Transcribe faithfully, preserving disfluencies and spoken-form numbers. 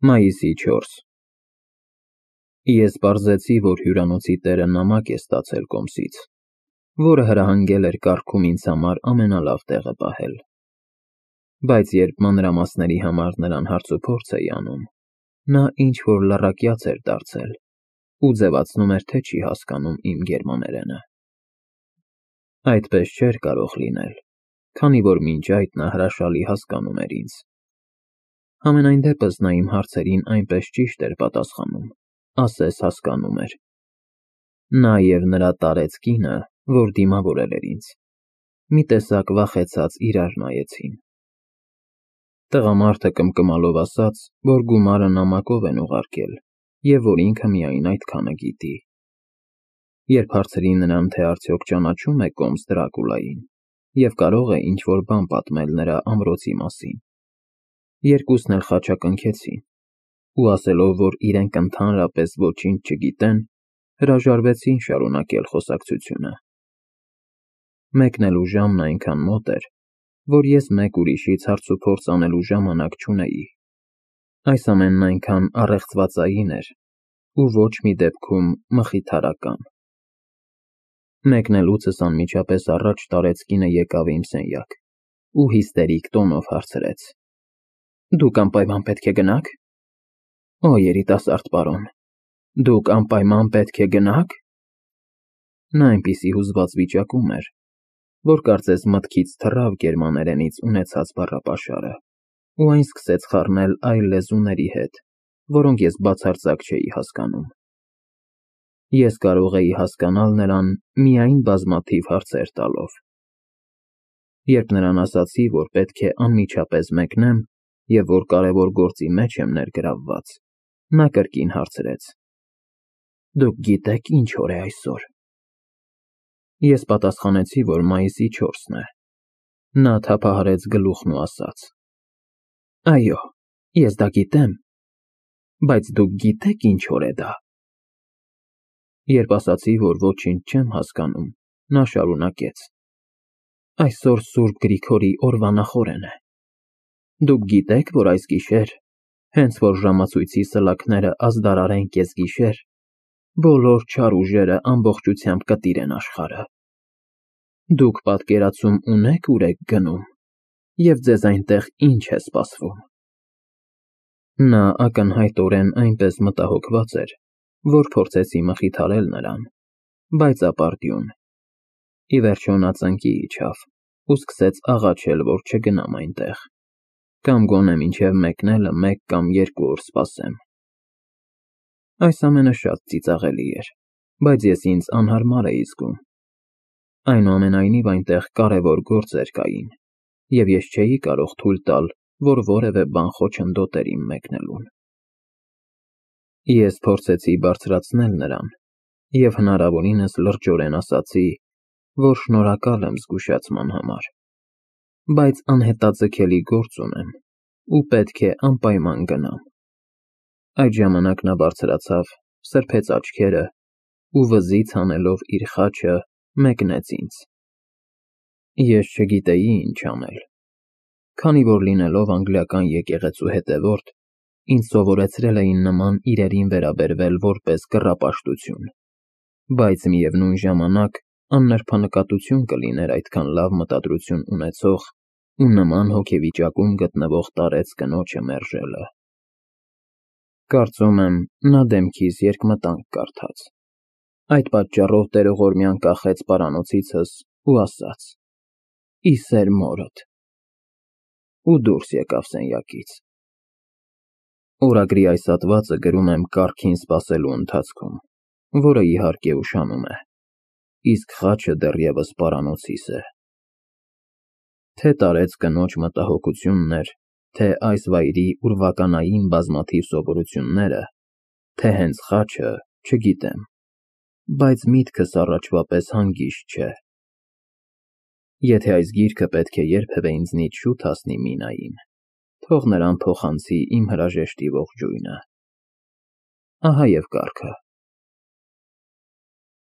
Մայիսի չորս Ես պարզեցի, որ հյուրանոցի տերը նամակ է ստացել կոմսից, որը հրահանգել էր կարգում ինձ համար ամենալավ տեղը պահել, բայց երբ մանրամասների համար նրան հարցուփորձ էի անում, նա ինչ-որ լռակյաց էր դարձել ու ձևացնում էր, թե չի հասկանում իմ գերմաներենը։ Այդպես չէր կարող լինել, քանի որ մինչ այդ նա հրաշալի հասկանում էր ինձ։ Համենայն դեպս նա իմ հարցերին այնպես ճիշտ էր պատասխանում, ասես հասկանում էր։ Նա և նրա տարեց կինը, որ դիմավորել էր ինձ, մի տեսակ վախեցած իրար նայեցին։ Տղամարդը կմկմալով ասաց, որ գումարը նամակով են ուղարկել և որ ինքը միայն այդքանը գիտի։ Երբ հարցրի նրան, թե արդյոք ճանաչում է կոմս Դրակուլային և կարող է ինչ-որ բան պատմել նրա ամրոցի մասին, երկուսն էլ խաչակնքեցին ու ասելով, որ իրենք ընդհանրապես ոչինչ չգիտեն, հրաժարվեցին շարունակել խոսակցությունը։ Մեկնելու ժամն այնքան մոտ էր, որ ես մեկ ուրիշից հարցուփորձ անելու ժամանակ չունեի։ Այս ամենն այնքան առեղծվածային էր ու ոչ մի դեպքում մխիթարական։ Մեկնելուցս անմիջապես առաջ տարեց կինը եկավ իմ սենյակ ու հիստերիկ տոնով հարցրեց. Դուք անպայման պետք է գնա՞ք։ Օ, երիտասարդ պարոն, դուք անպայման պետք է գնա՞ք։ Նա այնպիսի հուզված վիճակում էր, որ կարծես մտքից թռավ գերմաներենից ունեցած բառապաշարը ու այն սկսեց խառնել այլ լեզուների հետ, որոնք ես բացարձակ չէի հասկանում։ Ես կարող էի հասկանալ նրան միայն բազմաթիվ հարցեր տալով։ Երբ նրան ասացի, որ պետք է անմիջապես մեկնեմ և որ կարևոր գործի մեջ եմ ներգրավված, նա կրկին հարցրեց. Դուք գիտե՞ք ինչ օր է այսօր։ Ես պատասխանեցի, որ մայիսի չորսն է։ Նա թափահարեց գլուխն ու ասաց. Այո, ես դա գիտեմ, բայց դուք գիտե՞ք ինչ օր է դա։ Երբ ասացի, որ ոչինչ չեմ հասկանում, նա շարունակեց. Այսօր Սուրբ Գրիգորի օրվա նախօրեն է։ Դուք գիտե՞ք, որ այս գիշեր, հենց որ ժամացույցի սլաքները ազդարարեն կեսգիշեր, բոլոր չար ուժերը ամբողջությամբ կտիրեն աշխարհը։ Դուք պատկերացում ունե՞ք ուր եք գնում և ձեզ այնտեղ ինչ է սպասվում։ Նա ակնհայտորեն այնպես մտահոգված էր, որ փորձեցի մխիթարել նրան, բայց ապարդյուն։ Ի վերջո նա ծնկի իջավ ու սկսեց աղաչել, որ չգնամ այնտեղ, կամ գոնե մինչև մեկնելը մեկ կամ երկու օր սպասեմ։ Այս ամենը շատ ծիծաղելի էր, բայց ես ինձ անհարմար էի զգում։ Այնուամենայնիվ այնտեղ կարևոր գործեր կային, և ես չէի կարող թույլ տալ, որ որևէ բան խոչընդոտեր իմ մեկնելուն։ Ես փորձեցի բարձրացնել նրան և հնարավորինս լրջորեն ասացի, որ շնորհակալ եմ զգուշացման համար, բայց անհետաձգելի գործ ունեմ ու պետք է անպայման գնամ։ Այդ ժամանակ նա բարձրացավ, սրբեց աչքերը ու վզից հանելով իր խաչը մեկնեց ինձ։ Ես չգիտեի ինչ անել, քանի որ լինելով անգլիական եկեղեցու հետևորդ, ինձ սովորեցրել էին նման իրերին վերաբերվել որպես կռապաշտություն, բայց միևնույն ժամանակ աննրբանկատություն կլիներ այդքան լավ մտադրություն ունեցող ու նման հոգեվիճակում գտնվող տարեց կնոջը մերժելը։ Կարծում եմ, նա դեմքիս երկմտանք կարդաց։ Այդ պատճառով տերողորմյան կախեց պարանոցիցս ու ասաց. Ի սեր մորդ, ու դուրս եկավ սենյակից։ Օրագրի այս հատվածը գրում եմ կառքին սպասելու ընթացքում, որը իհարկե ուշանում է, իսկ խաչը դեռևս պարանոցիս է։ Թե տարեց կնոջ մտահոգությունն էր, թե այս վայրի ուրվականային բազմաթիվ սովորությունները, թե հենց խաչը, չգիտեմ, բայց միտքս առաջվա պես հանգիստ չէ։ Եթե այս գիրքը պետք է երբևէ ինձնից շուտ հասնի Մինային, թող նրան փոխանցի իմ հրաժեշտի ողջույնը։ Ահա և կառքը։